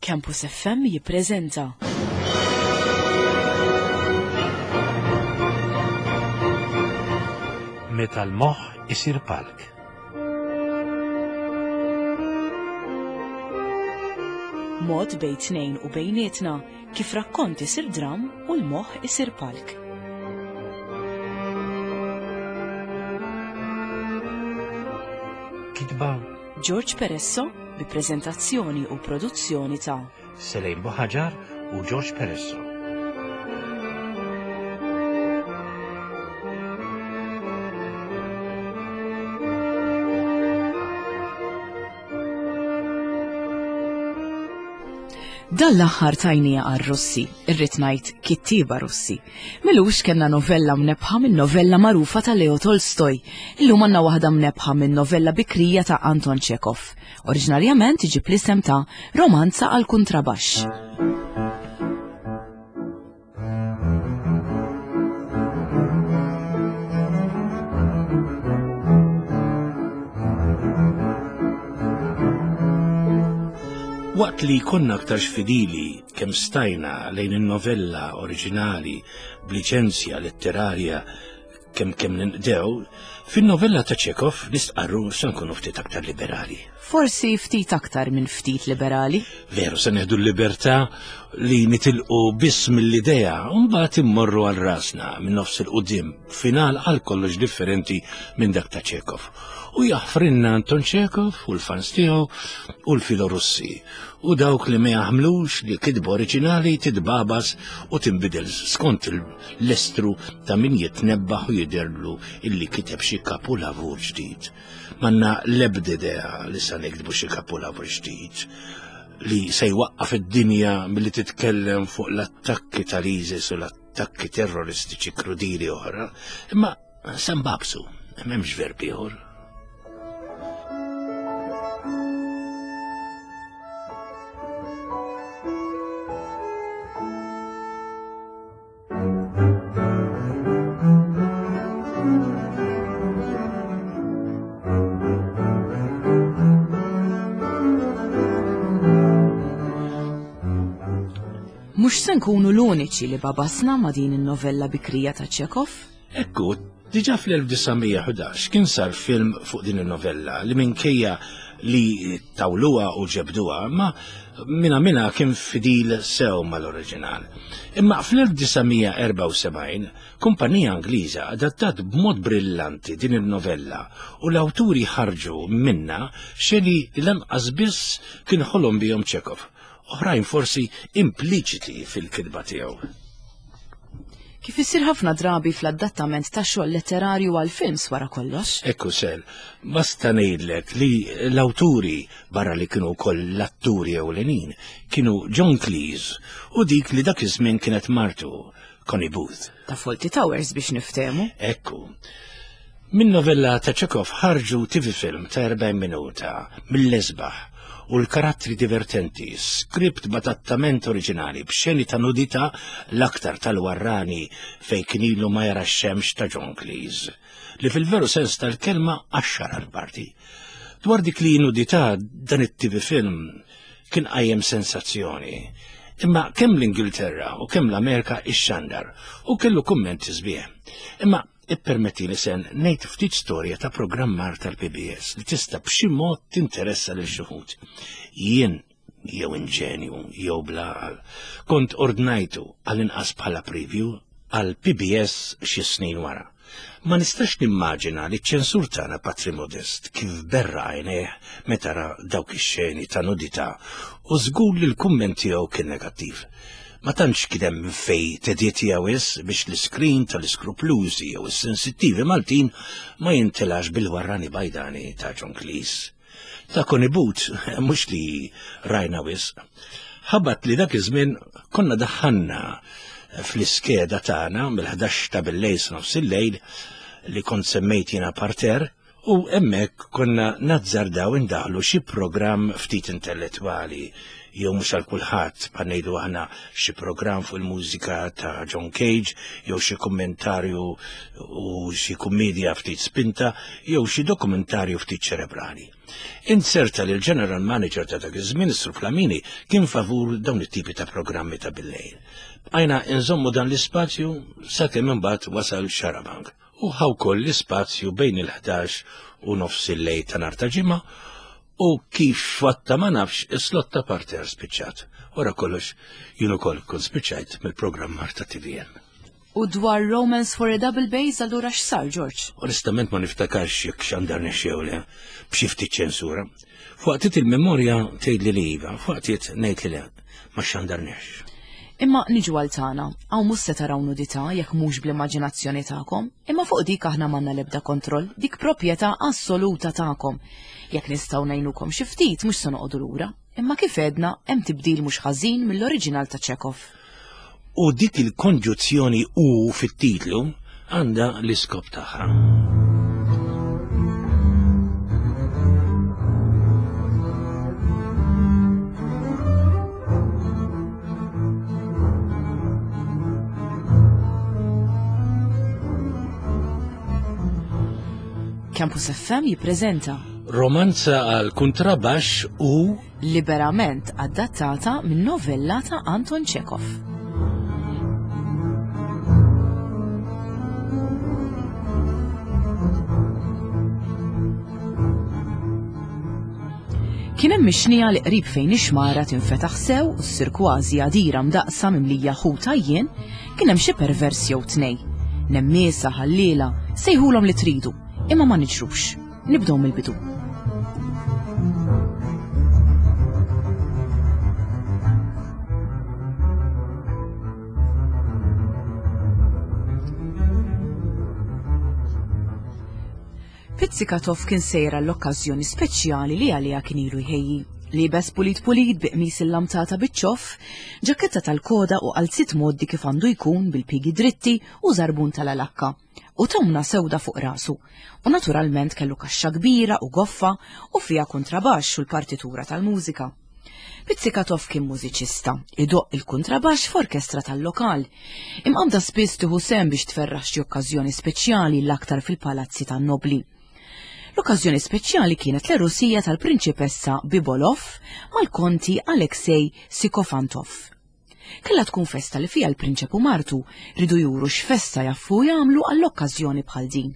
Campus FM jippreżenta. Meta l-moħħ isir palk. Mod bejn tnejn u bejnietna kif rakkont isir dram u l-moħħ isir palk. Kitba George Peresso bi preżentazzjoni u produzzjoni ta' Selejn Buħaġar u George Peresso. Dan l-aħħar tajnija għar-Russi, irrid ngħid kittieba Russi. Milux kellna novella mnebbħa minn novella magħrufa ta' Leo Tolstoj. Illum għandna waħda mnebbħa minn novella bikrija ta' Anton Chekhov. Oriġinarjament iġib l-isem ta' Romanza għal kuntrabaxx. Waqt li konna aktarx fidili kemm stajna lejn in-novella oriġinali b'liċenzja letterarja kemm kemm ninqdew, fin-novella ta' Chekhov nistqarru se nkunu ftit aktar liberali. Forsi ftit aktar minn ftit liberali. Veru se neħdu l-libertà li nitilqu biss mill-idea u mbagħad immorru għal rasna minn nofs il-qudiem final għal kollox differenti minn dak ta' Chekhov. U jaħfrinna Anton Chekhov u l-fans tiegħu u l-Filorussi u dawk li ma jaħmlux li kitba oriġinali titbabas u tinbidel skont l-estru ta' min jitnebbaħ u jidherlu illi kiteb xi kapulavur ġdid. Manna l-ebda idea li sa niktbu xi kapulavur ġdid li se jwaqqaf id-dinja milli titkellem fuq l-attakki tal-ISIS u l-attakki terroristiċi krudili oħra, imma se nbabsu, m'hemmx verb ieħor. Mhux se nkunu l-uniċi li babasna ma' din in-novella bikrija ta' Chekhov. Ekku, diġà fl-1911 kien sar film fuq din in-novella li minkejja li tawluha u ġebduha, ma minna minna kien fidil sew mal-oriġinal. Imma fl-1974 kumpanija Ingliża adattat b'mod brillanti din il-novella u l-awturi ħarġu minna xeni li lanqas biss kien ħolom bihom Chekhov oħrajn forsi impliċiti fil-kitba tiegħu. Kif isir ħafna drabi fl-adattament ta' xogħol letterarju għal films wara kollox. Ekku sel, basta ngħidlek li l-awturi barra li kienu wkoll l-atturi ewlenin kienu John Cleese u dik li dak iż-żmien kienet martu Connie Booth. Ta' Fawlty Towers biex niftehmu. Ekku. Min novella ta' Chekhov ħarġu TV film ta' 40 minuta mill-esbaħ u l-karattri divertenti, skript b'adattament oriġinali b'xeni ta' nudità l-aktar tal-warrani fejn kien ilu ma jara x-xemx ta' John Cleese, li fil-veru sens tal-kelma qaxxar għall-parti. Dwar dik li nudità dan it-TV film kien qajjem sensazzjoni. Imma kemm l-Ingilterra u kemm l-Amerika ixxandar u kellu kummenti sbieħ. Imma Ippermettili se ngħid ftit storja ta' programmar tal-PBS li tista' b'xi mod tinteressa lil xi wħud. Jien jew inġenju jew bla għaqal, kont ordnajtu għall-inqas bħala preview għal PBS xi snin wara. Ma nistax nimmaġina li ċ-ċensur tagħna Patri Modest kif berra għajnejh meta ra dawk ix-xeni ta' nudità u żgur li l-kumment tiegħu kien negattiv. Ma tantx kien hemm minn fejn teditja wisq biex l-iskrin tal-iskruplużi jew is-sensittivi Maltin ma jintelax bil-warrani bajdani ta' John Cleese. Ta' Connie Booth mhux li rajna wisq. Ħabat li dak iż-żmien konna daħħalna fl-iskeda tagħna mill-11 ta' billejl sa nofs il-lejl li kont semmejt jiena parter U hemmhekk konna nazzardaw indaħħlu xi programm ftit intellettwali. jew mhux għal kulħadd bħal ngħidu aħna xi programm fuq il-mużika ta' John Cage jew xi kummentarju u xi kummedja ftit spinta jew xi dokumentarju ftit ċerebrali. Inzerta li l-General Manager ta' dak iż-żmien, Sur Flamini, kien favur dawn it-tipi ta' programmi ta' billejl. Bqajna nżommu dan l-ispazju sakemm imbagħad wasal Xarabank u ħa wkoll l-ispazju bejn il-11 u nofs il-lejl ta' nhar ta' ġimgħa u kif fatta ma nafx is-slot ta' parter spiċċat. Wara kollox jien ukoll kont spiċċajt mill-programmar ta' TVM. U dwar Romance for a Double Bass allura x'sar, George? Onestament ma niftakarx jekk xandarni xew le, b'xi ftit ċensura. F'waqtiet il-memorja tgħidli li iva, f'waqtiet ngħid li le, ma xandarniex. Imma niġu għal tagħna, hawn mhux se taraw nudità jekk mhux bl-immaġinazzjoni tagħkom, imma fuq dik aħna m'għandna l-ebda kontroll, dik proprjetà assoluta tagħkom. Jekk nistgħu ngħinukom xi ftit mhux se noqogħdu lura. Imma kif għedna, hemm tibdil mhux ħażin mill-oriġinal ta' Chekhov. U dik il-konġuzzjoni u fit-titlu għandha l-iskop tagħha. Campus FM jippreżenta Romanza għal kuntrabaxx u liberament adattata minn novella ta' Anton Chekhov. Kien hemm ix-xnija li qrib fejn ix-xmara tinfetaħ sew u ssir kważi għadira mdaqqsa mimlija ħut għajjien, kien hemm xi pervers jew tnej. Nemmiesa, ħalliela, sejħulhom li tridu, imma ma niġrux. Nibdew mill-bidu. Pizzikatov kien sejjer għall-okkażjoni speċjali li għaliha kien ilu jħejji. Liebes pulit pulit bi qmis illamtata biċ-ċoff, ġaketta tal-koda u qalziet mgħoddi kif għandu jkun bil-pigi dritti u żarbun tal-alakka, u tomna sewda fuq rasu. U naturalment kellu kaxxa kbira u goffa u fiha kuntrabaxx u l-partitura tal-mużika. Pizzikatov kien mużiċista, idoqq il-kuntrabaxx f'orkestra tal-lokal. Imqabbda spiss tieħu sehem biex tferraħ xi okkażjoni speċjali l-aktar fil-palazzi tan-nobbli. L-okkażjoni speċjali kienet l-għerusija tal-Prinċipessa Bibolov mal-Konti Alexei Sikofantov. Kellha tkun festa li fiha l-prinċep u martu riedu juru x'festa jafu jagħmlu għall-okkażjoni bħal din.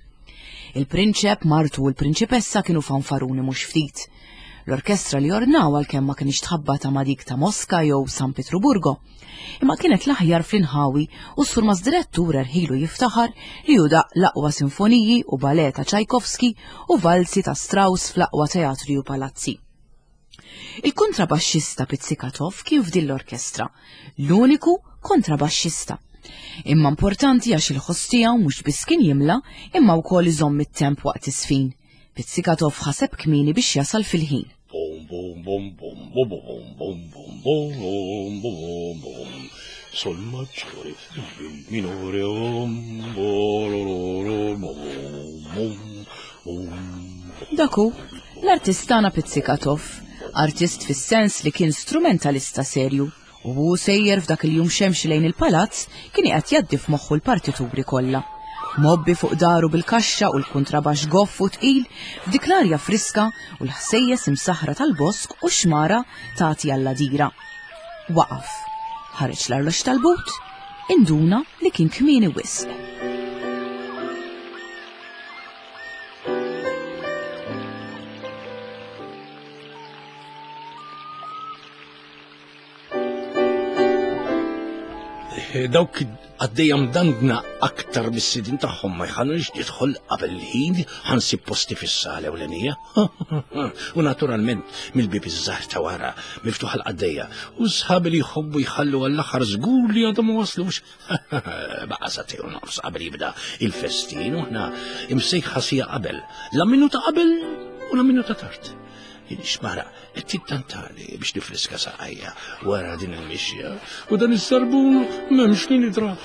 Il-prinċep, martu u l-prinċipessa kienu fanfaruni mhux ftit. L-orkestra li ordnaw għalkemm ma kienx tħabbata ma' dik ta' Moska jew San Pietruburgo, imma kienet l-aħjar fl-inħawi u s-surmas direttur erħilu jiftaħar li hu daqq l-aqwa sinfoniji u ballet ta' Tchaikovsky u valzi ta' Strauss fl-aqwa teatri u palazzi. Il-kontrabaxxista Pizzikatov kien f'din l-orkestra, l-uniku kontrabaxxista. Imma importanti għax il-ħoss tiegħu mhux biss kien jimla imma wkoll iżomm it-temp waqt iż-żfin. Pizzikatov ħaseb kmieni biex jasal fil-ħin. Bum bum bum bum bum bum bum bum bum bum bum bum Sol maggiore minore om bum bum Dak hu, l-artist tagħna Pizzikatov, artist fis-sens li kien strumentalista serju, u hu sejjer f'dak il-jum xemxi lejn il-palazz kien qiegħed jgħaddi f'moħħu l-partituri kollha. Mgħobbi fuq daru bil-kaxxa u l-kuntrabaxx goff u tqil, f'dik l-arja friska u l-ħsejjes imsaħħra tal-bosk u x-xmara tagħti għall-għadira. Waqaf. Ħareġ l-arloġġ tal-but, induna li kien kmieni wisq. Dawk għaddejja mdandna aktar mis-sidin tagħhom ma jħallux nidħol qabel il-ħin ħansib posti fis-sala ewlenija. U naturalment mill-bieb iż-żgħar ta' wara miftuħ għall-qaddejja u sħabi li jħobbu jħallu għall-aħħar żgur li għadhom ma waslux. Baqa' sagħtejn u nofs qabel jibda il-festin u aħna imsejħa sija qabel, la minuta qabel u la minuta tard. Xmara, qed tittantani biex nifriska saqajja wara din il-mixja u dan is-sarbun m'hemmx min idrah.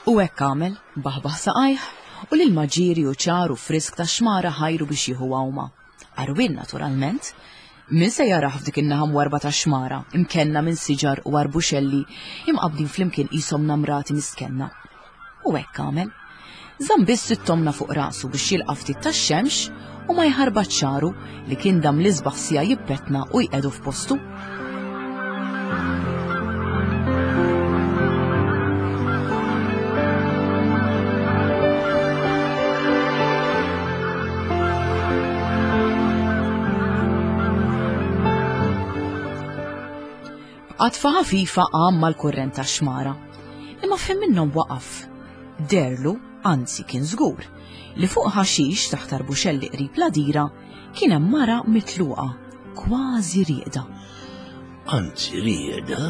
U hekk għamel, baħbaħ saqajh, u l-ilma ġieri u ċar u frisk tax-xmara ħajru biex jieħu għawma. Għarwien naturalment. Min se jarah f'dik in-naħa mwarrba tax-xmara, imkenna minn siġar u arbuxelli imqabbdin flimkien qishom namrati mistkenna. U hekk għamel. Żamm biss it-tomna fuq rasu biex jilqa' ftit tax-xemx u ma jħarbatx xagħru li kien dam l-isbaħ siegħa jippetna u jqiegħdu f'postu. B'qatfa ħafifa qam mal-kurrent tax-xmara. Imma f'ħin minnhom waqaf. Deherlu, anzi kien żgur, li fuq ħaxix taħt arbuxelli qrib l-għadira kien hemm mara mitluqa, kważi rieqda. Anzi rieqda?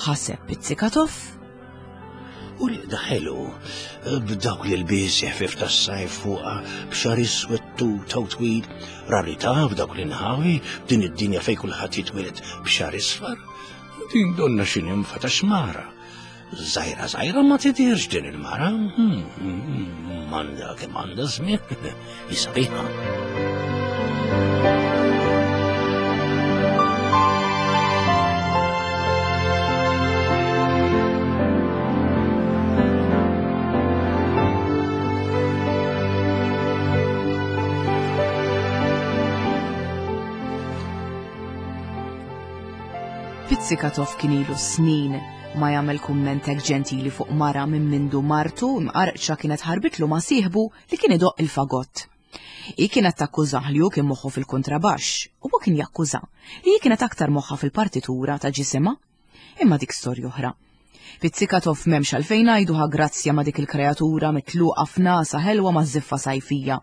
Ħaseb Pizzikatov. U rieqda ħelu, b'dawk l-ilbies ħfif tas-sajf fuqha, b'xar iswed tuta u twil, rarità f'dawk l-inħawi, b'din id-dinja fejn kulħadd jitwieled b'xar isfar. Din donna xi nimfa ta' xmara. Żgħira żgħira ma tidhirx din il-mara. M'għandha kemm għandha żmien, hi sabiħa. Pizzikatov kien ilu snin ma jagħmel kumment hekk ġentili fuq mara minn mindu martu mqarqċa kienet ħarbitlu ma' sieħbu li kien idoqq il-fagott. Hi kienet takkużah li hu kien moħħu fil-kuntrabaxx u hu kien jakkuża li hi kienet aktar moħħha fil-partitura ta' ġisimha. Imma dik storja oħra. Pizzikatov m'hemmx għalfejn ngħidu ħa grazzja ma' dik il-kreatura mitluqa f'nasa ħelwa ma' żiffa sajfija.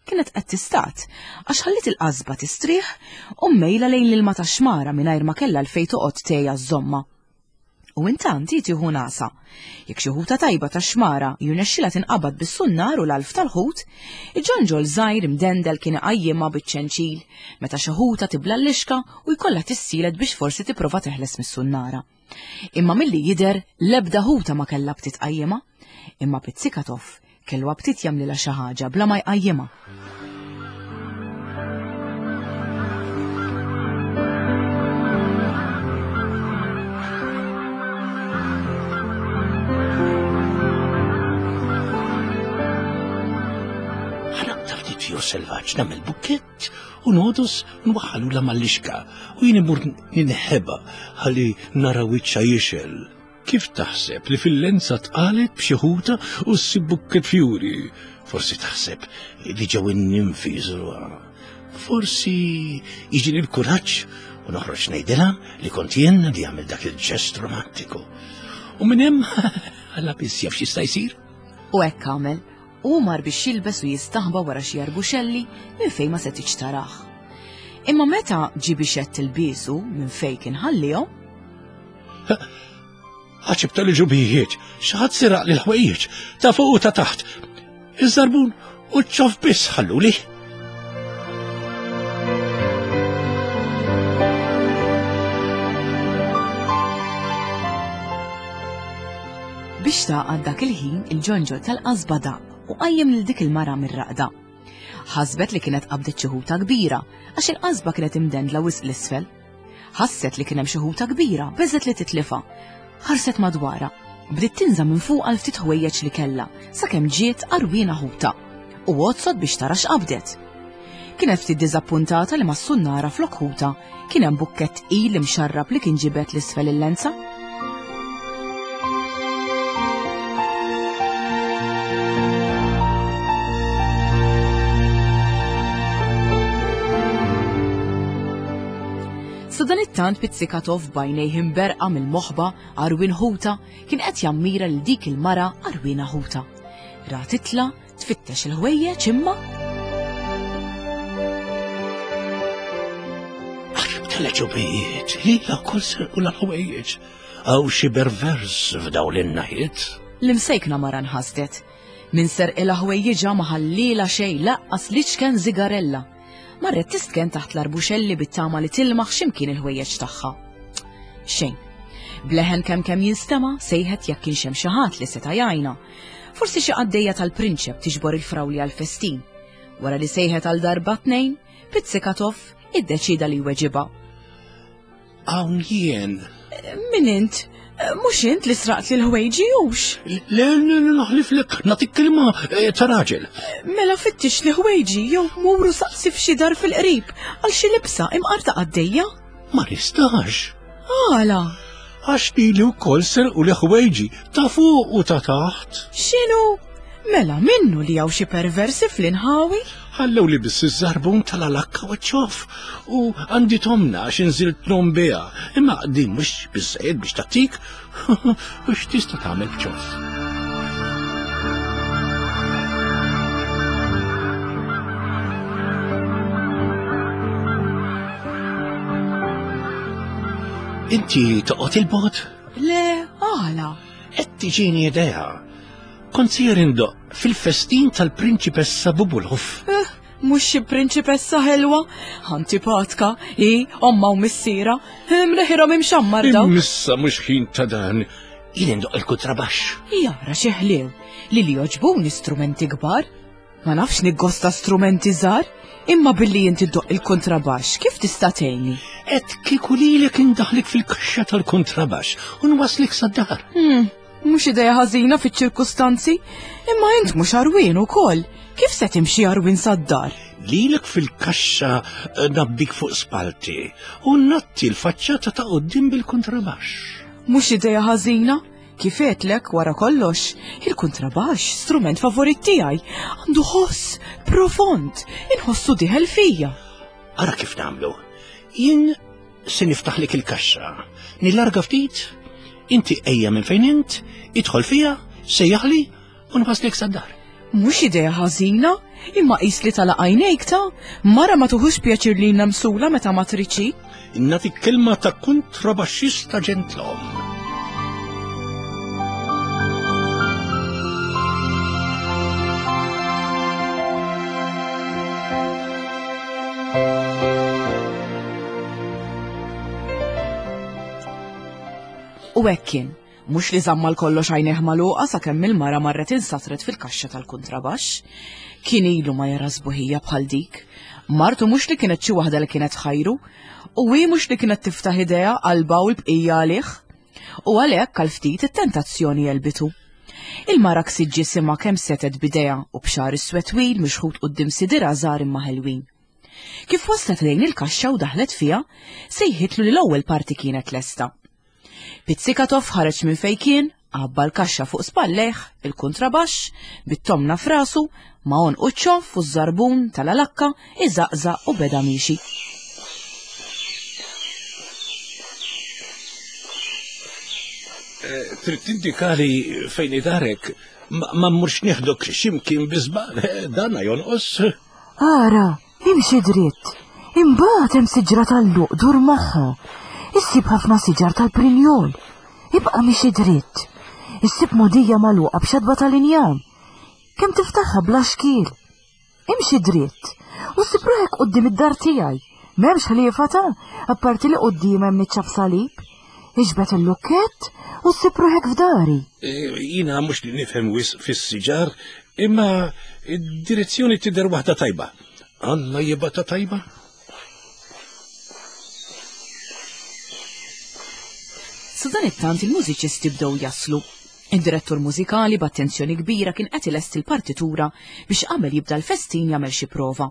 Kienet qed tistat, għax ħalliet il-qasba tistrieħ u mmejla lejn l-ilma tax-xmara mingħajr ma kellha għalfejn toqgħod tgħejja żżommha. U intant hi tieħu nasa. Jekk xi ħuta tajba tax-xmara jirnexxilha tinqabad bis-sunnar u l-għalf tal-ħut, il-ġonġol żgħir imdendel kien iqajjimha biċ-ċenċil meta xi ħuta tibla l-lixka u jkollha tissielet biex forsi tipprova teħles mis-sunnara. Imma milli jidher l-ebda ħuta ma kellha btit tqajjimha, imma Pizzikatov kellu aptit jagħmlilha xi ħaġa bla ma jqajjimha. Ħanaqta ftit fjur selvaġġ nagħmel bukkett u nodus nwaħħalula mal-lixka u jien imur ninħeba ħalli nara wiċċha jixel. Kif taħseb li fil-lenza tqalet b'xi ħuta u ssib bukket fjuri? Forsi taħseb li ġew in-ninfi jżuruha. Forsi jiġini l-kuraġġ u noħroġ ngħidilha li kont jien li għamil dak il-ġest romantiku. U minn hemm alla biss jaf x'jista' jsir. U hekk għamel, u mar biex jilbes u jistaħba wara xi arbuxelli minn fejn ma setgħitx tarah. Imma meta ġie biex jgħedd ilbiesu minn fejn kien ħallihom, Ħaċib tal-ġubijiet, xaħat siraq li l-ħwejjeġ, ta' fuq u ta' taħt. Iż-żarbun u ċ-ċof biss ħalluli. Biex tagħqad dak il-ħin il-ġonġol tal-qasba daqq u qajjem lil dik il-mara mir-raqda. Ħasbet li kienet qabdet xi ħuta kbira għax il-qasba kienet imdendla wisq l-isfel. Ħasset li kien hemm xi ħuta kbira, beżgħet li titlifha. Ħarset madwarha. Bdiet tinża' minn fuqha l-ftit ħwejjeġ li kellha, sakemm ġiet għarwiena ħuta. U għodsot biex tara x'qabdet. Kienet ftit diżappuntata li mas-sunnara flok ħuta kien hemm bukkett tqil imxarrab li kien ġibed 'l isfel il-lenza. Sadanittant Pizzikatov b'għajnejh imberqa mill-moħba għarwien ħuta kien qed jammira lil dik il-mara għarwiena ħuta. Ra titla' tfittex il-ħwejjeġ imma Tal-ġubijiet, lilha wkoll serqu l-ħwejjeġ. Hawn xi bervers f'dawn l-innaħiet. L-imsejkna mara nħasdet. Min serqilha ħwejjiġha ma ħallielha xejn laqqas l-iċken żigarella. Marret tistken taħt l-arbuxelli bit-tama li tilmaħ x'imkien il-ħwejjeġ tagħha. Xejn. Bleħen kemm kemm jinstema' sejħet jekk kienx hemm xi ħadd li seta' jgħinha. Forsi xi qaddejja tal-prinċep tiġbor il-frawli għall-festin. Wara li sejħet għal darba tnejn, Pizzikatov iddeċida li jweġibha. Hawn jien. Min int? Mhux int li sraqt li l-ħwejġi hux? Le, naħliflek, nagħtik kelma eh, ta' raġel. Mela fittix li ħwejġi jew muru saqsi f'xi dar fil-qrib għal xi libsa imqar ta' qaddejja. Ma nistax. Għala? Għax lili wkoll serqu li ħwejġi ta' fuq u ta' taħt. X'inhu? Mela minnu li hawn xi perversi fl-inħawi? Ħallew li biss iż-żarbun tal-alakka u ċof u għandi tomna għax inżilt nom biha. Imma din mhux biżżejjed biex tagħtik u x'tista' tagħmel b'ċof. Inti toqgħod il-bogħod? Le, għala. Qed tiġini idea. Kont sejjer indoqq fil-festin tal-Prinċipessa Bubulov. Eh, mhux xi prinċipessa ħelwa, antipatka, hi, omma u missiera, mneħirhom imxammar daw. Missa mhux ħin ta' dan. Jien indoqq il-kuntrabaxx. Jara xi ħlew li li joġbuni strumenti kbar. Ma nafx niggosta strumenti żgħar, imma billi inti ddoqq il-kontrabaxx, kif tista' tgħinni? Qed kieku lilek indaħlik fil-kaxxa tal-kontrabaxx u nwaslik sad-dar. Hmm, mhux idea ħażina fiċ-ċirkustanzi, imma int mhux għarwien ukoll. Kif se timxi għarwien sad-dar? Lilek fil-kaxxa eh, nabbik fuq spalti u natti l-faċċata ta' quddiem bil-kontrabaxx. Mhux idea ħażina? Kif għedtlek, wara kollox, il-kuntrabaxx, strument favorit tiegħi, għandu ħoss profond, inħossu dieħel fija. Ara kif nagħmlu. Jien se niftaħlek il-kaxxa. Nillarga ftit, inti ejja minn fejn int, idħol fija, sejjaħli u nwaslek sad-dar. Mhux idea ħażina, imma qis li tala għajnejk ta' mara ma tuħux pjaċir li namsula meta ma triċi. Nagħtik kelma ta' kontrabaxxista ġentlom. U hekk kien. Mhux li żamm għal kollox għajnejh magħluqa sakemm il-mara marret insatret fil-kaxxa tal-kuntrabaxx. Kien ilu ma jara sbuħija bħal dik. Martu mhux li kienet xi waħda li kienet ħajru, u hi mhux li kienet tiftaħ idejha qalbha u l-bqija għalih. U għalhekk għal ftit it-tentazzjoni għelbitu. Il-mara ksiet ġisimha kemm setgħet b'idejha u b'xagħar iswed twil mixħut quddiem sidirha żgħar imma ħelwin. Kif waslet lejn il-kaxxa u daħlet fiha, sejħitlu li l-ewwel parti kienet lesta. Pizzikatov ħareġ minn fejn kien, għabba l-kaxxa fuq spallejh, il-kuntrabaxx, bit-tomna f'rasu, ma' għonqu ċ-ċoff u ż-żarbun tal-alakka iżaqżaq u beda miexi. Eh, trid tindikali fejn idarek, ma mmurx nieħdok x'imkien bi żball, eh, dana jonqos. Ara, Imxi dritt. Imbagħad hemm siġra tal-luq dur magħha. Issib ħafna siġar tal-prinjol. Ibqa' mixi dritt. Issib mogħdija magħluqa b'xatba tal-injam. Kemm tiftaħha bla xkiel. Imxi dritt u ssib ruħek quddiem id-dar tiegħi. M'hemmx ħliefa ta' apparti li quddiem hemm niċċa b'salib. Iġbed il-lukkett u ssib ruħek f'dari. E, jiena mhux li nifhem wisq fis-siġar, imma id-direzzjoni tidher waħda tajba. Alla jibgħatha tajba? Sadanittant il-mużiċisti bdew jaslu. Id-direttur mużikali b'attenzjoni kbira kien qed ilesti l-partitura biex qabel jibda l-festin jagħmel xi prova.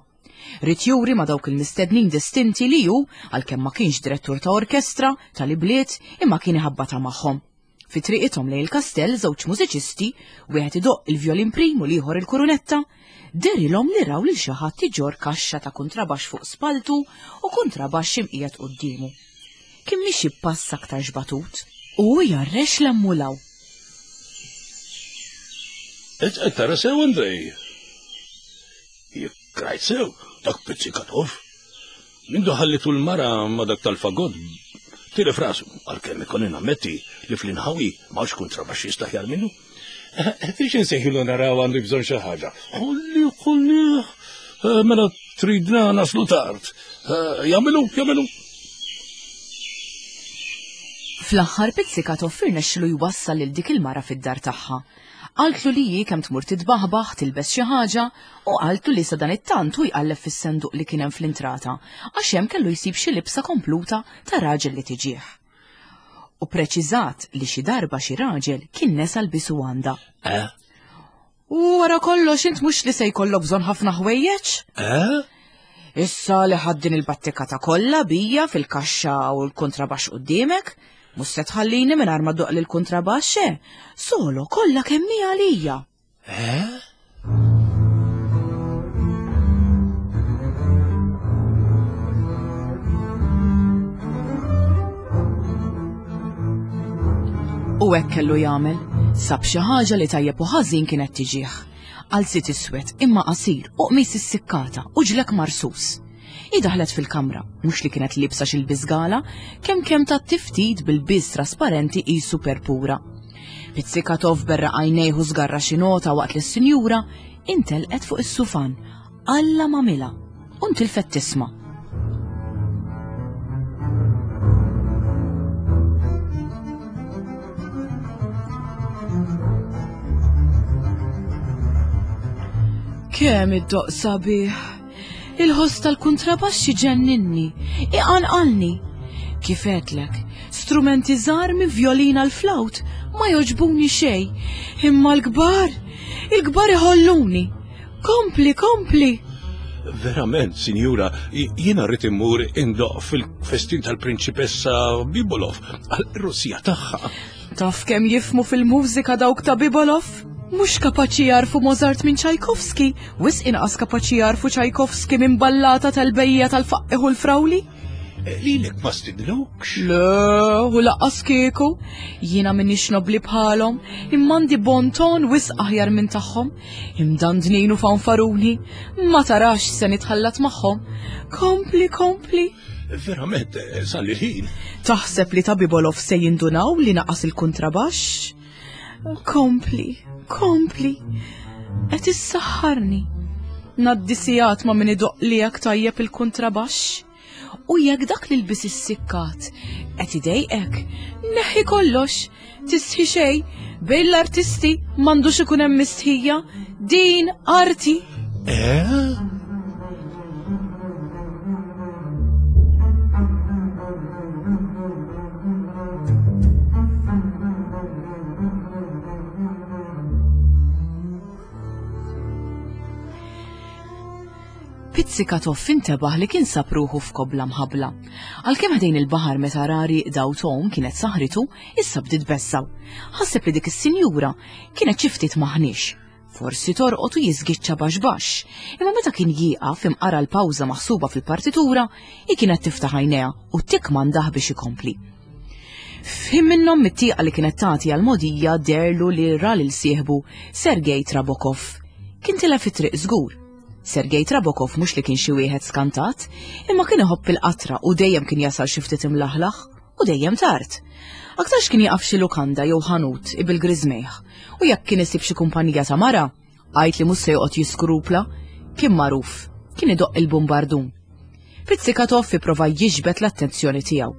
Ried juri ma' dawk il-mistednin distinti li hu, għalkemm ma kienx direttur ta' orkestra, tal-ibliet, imma kien iħabbatha magħhom. Fi triqithom lejn il-kastell żewġ mużiċisti, wieħed idoqq il-vjolin prim u l-ieħor il-kurunetta, dehrilhom li raw lil xi ħadd iġorr kaxxa ta' kuntrabaxx fuq spalltu u kuntrabaxx imqiegħed quddiemu. Kien miexi b'pass aktarx batut u hu jgħarrex 'l hemm u 'l hawn. Int qed tara sew, Andrej? Jekk rajt sew, dak Pizzikatov. Mindu ħallitu l-mara ma dak tal-fagott, tilef rasu, għalkemm ikolli nammetti li fl-inħawi m'hawnx kuntrabaxxist aħjar minnu. Tridx insejħilu naraw għandu bżonn xi ħaġa. Ħalli, ħalli, eh, mela tridna naslu tard. Eh, jagħmelu, jagħmelu. Fl-aħħar Pizzikatov irnexxilu jwassal lil dik il-mara fid-dar tagħha. Qaltlu li hi kemm tmur titbaħbaħ, tilbes xi ħaġa u qaltlu li sadanittant hu jqalleb fis-senduq li kien hemm fl-intrata għax hemm kellu jsib xi libsa kompluta ta' raġel li tiġih. U preċiżat li xi darba xi raġel kien nesa lbisu għandha. Eh? U wara kollox int mhux li se jkollok bżonn ħafna ħwejjeġ? Eh? Issa li ħadd din il-battikata kollha bija fil-kaxxa u l-kontrabaxx quddiemek, mhux se tħallini mingħajr ma doq lil kontrabaxx, eh? Solo kollha kemm hi għalija. Eh? U hekk kellu jagħmel, sab xi ħaġa li tajjeb u ħażin kienet tiġih. Qalziet iswed imma qasir u qmis issikkata u ġlek marsus. Hi daħlet fil-kamra, mhux li kienet liebsa xi lbies gala, kemm kemm tat tiftit bil-biż trasparenti qisu perpura. Pizzikatov berraq għajnejh u żgarra xi nota waqt li s-sinjura intelqet fuq is-sufan Alla m'għamilha u ntilfet tisma'. Kemm id-doq sabiħ! Il-ħoss tal-kuntrabaxx iġenninni, iqanqalni. Kif għedlek, strumenti żgħar minn vjolina l flawt ma jogħġbuni xejn, imma l-kbar, il-kbar iħolluni. Kompli, kompli! Verament, sinjura, jiena rrid immur indoq fil-festin tal-prinċipessa Bibolov għal-Russija tagħha. Taf kemm jifmu fil-mużika dawk ta' Bibolov? Mhux kapaċi jarfu Mozart minn Tchaikovsky, wisq inqas kapaċi jarfu Tchaikovsky minn ballata tal-bejja tal-faqqiħ u l-frawli. Eh, lilek ma stidnukx? Le, u laqqas kieku. Jiena minix nobli bħalhom, imma għandi bon ton wisq aħjar minn tagħhom. Imdandnin u fanfaruni, ma tarax se nitħallat magħhom. Kompli, kompli. Verament, eh, sal ħin. Taħseb li ta' Bibolov se jindunaw li naqas il-kontrabaxx? Kompli, kompli. Qed issaħħarni. Naddi sigħat ma' min idoq li jekk tajjeb il-kontrabaxx. U jekk dak li lbis is-sikkat qed idejqek, neħħi kollox, tistħi xejn, bejn l-artisti m'għandux ikun hemm mistħija, din arti. Eh? Pizzikatov intebaħ li kien sab ruħu f'kobla mħabbla. Għalkemm ħdejn il-baħar meta ra rieqda u tgħum kienet saħritu, issa bdiet tbeżżgħu. Ħaseb li dik is-sinjura kienet xi ftit maħniex. Forsi torqod u jiżgiċċa baxx baxx. Imma meta kien jieqaf imqara l-pawża maħsuba fil-partitura, hi kienet tiftaħ għajnejha u tikkmandah biex ikompli. F'ħin minnhom mit-tieqa li kienet tagħti għall-mogħdija deherlu li ra lil sieħbu Sergei Trabokov. Kien tilef it-triq żgur. Sergei Trabokov mhux li kien xi wieħed skantat, imma kien iħobb il-qatra u dejjem kien jasal xi ftit imlaħlaħ u dejjem tard. Aktarx kien jaqaf xi lukanda jew ħanut ibil griżmejh u jekk kien isib xi kumpanija ta' mara, Għid li mhux se joqgħod jiskrupla, kien magħruf, kien idoqq il-bumbardun. Pizzikatov ipprova jiġbed l-attenzjoni tiegħu.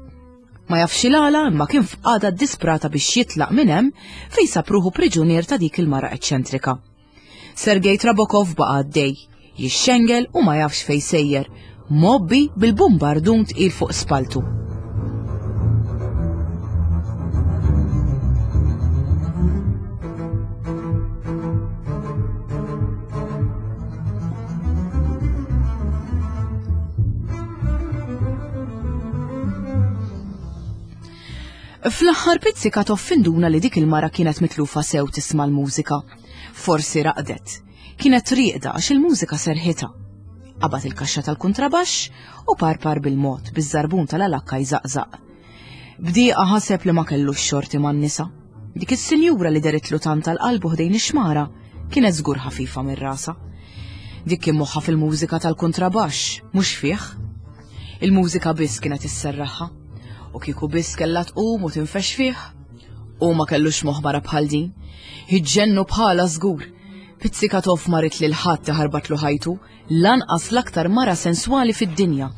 Ma jafx il-għala imma kien f'qagħda ddisprata biex jitlaq minn hemm fejn sab ruħu priġunier ta' dik il-mara eċċentrika. Sergej Trabokov baqa' għaddej, jixxengel u ma jafx fejn sejjer, mgħobbi bil-bumbardun tqil fuq spaltu. Fl-aħħar Pizzikatov induna li dik il-mara kienet mitlufa sew tisma' l-mużika. Forsi raqdet. Kienet rieqda għax il-mużika serħitha. Qabad il-kaxxa tal-kuntrabaxx u parpar bil-mod biż-żarbun tal-alakka jżaqżaq. B'dieqa ħaseb li ma kellux xorti man-nisa. Dik is-sinjura li deritlu tant għal qalbu ħdejn ix-xmara kienet żgur ħafifa minn rasha. Dik kien moħħha fil-mużika tal-kuntrabaxx, mhux fih. Il-mużika biss kienet isserraħha. U kieku biss kellha tqum u tinfex fih. U ma kellux moħħ mara bħal din. Iġġennu bħala żgur. Pizzikatov ma ried lil ħadd iħarbatlu ħajtu, lanqas l-aktar mara senswali fid-dinja.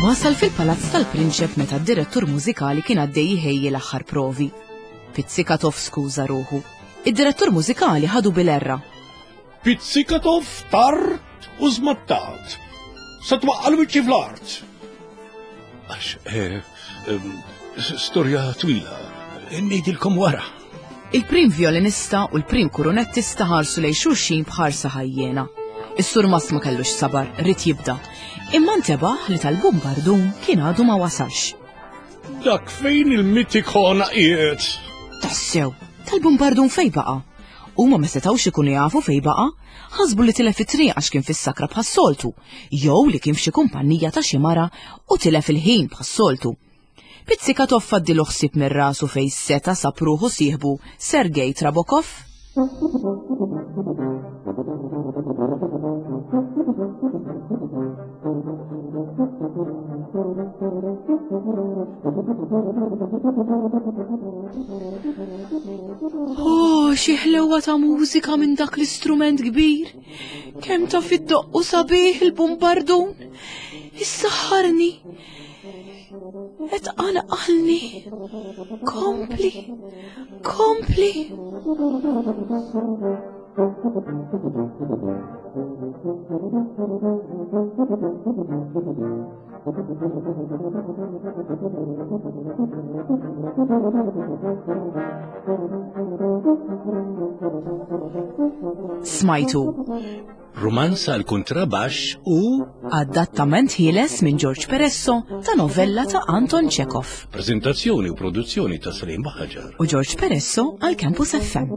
Wasal fil-palazz tal-prinċep meta d-direttur mużikali kien għaddej jħejji l-aħħar provi. Pizzikatov skuża ruħu. Id-direttur mużikali ħadu bil-erra. Pizzikatov tard u żmattat. Se twaqqa' l-wiċċi fl-art. Għax, eh, storja twila, ngħidilkom wara. Il-prim violinista u l-prim kurunettista ħarsu lejn xulxin b'ħarsa ħajjena. Is-surmast ma kellux sabar, ried jibda. Imma ntebaħ li tal-bumbardun kien għadu ma wasalx. Dak fejn il-mitikona qiegħed. Tassew, tal-bumbardun fejn baqa'? Huma ma setgħux ikunu jafu fejn baqa', ħasbu li tilef it-triq għax kien fis-sakra bħas-soltu, jew li kien f'xi kumpanija ta' xi mara u tilef il-ħin bħas-soltu. Pizzikatov faddilu ħsieb minn rasu fejn seta' sab ruħu sieħbu Sergej Trabokov. Oh, xi ħlewa ta' mużika minn dak l-istrument kbir! Kemm ta' fid-doqqu sabiħ il-bumbardun! Issaħħarni! Et qanqalni. Kompli. Kompli. Smajtu. Rumanz għal kuntrabaxx u Adattament ħieles minn George Peresso ta' novella ta' Anton Chekhov. Preżentazzjoni u produzzjoni ta' Salim Baħaġar. U George Peresso għal Campus FM.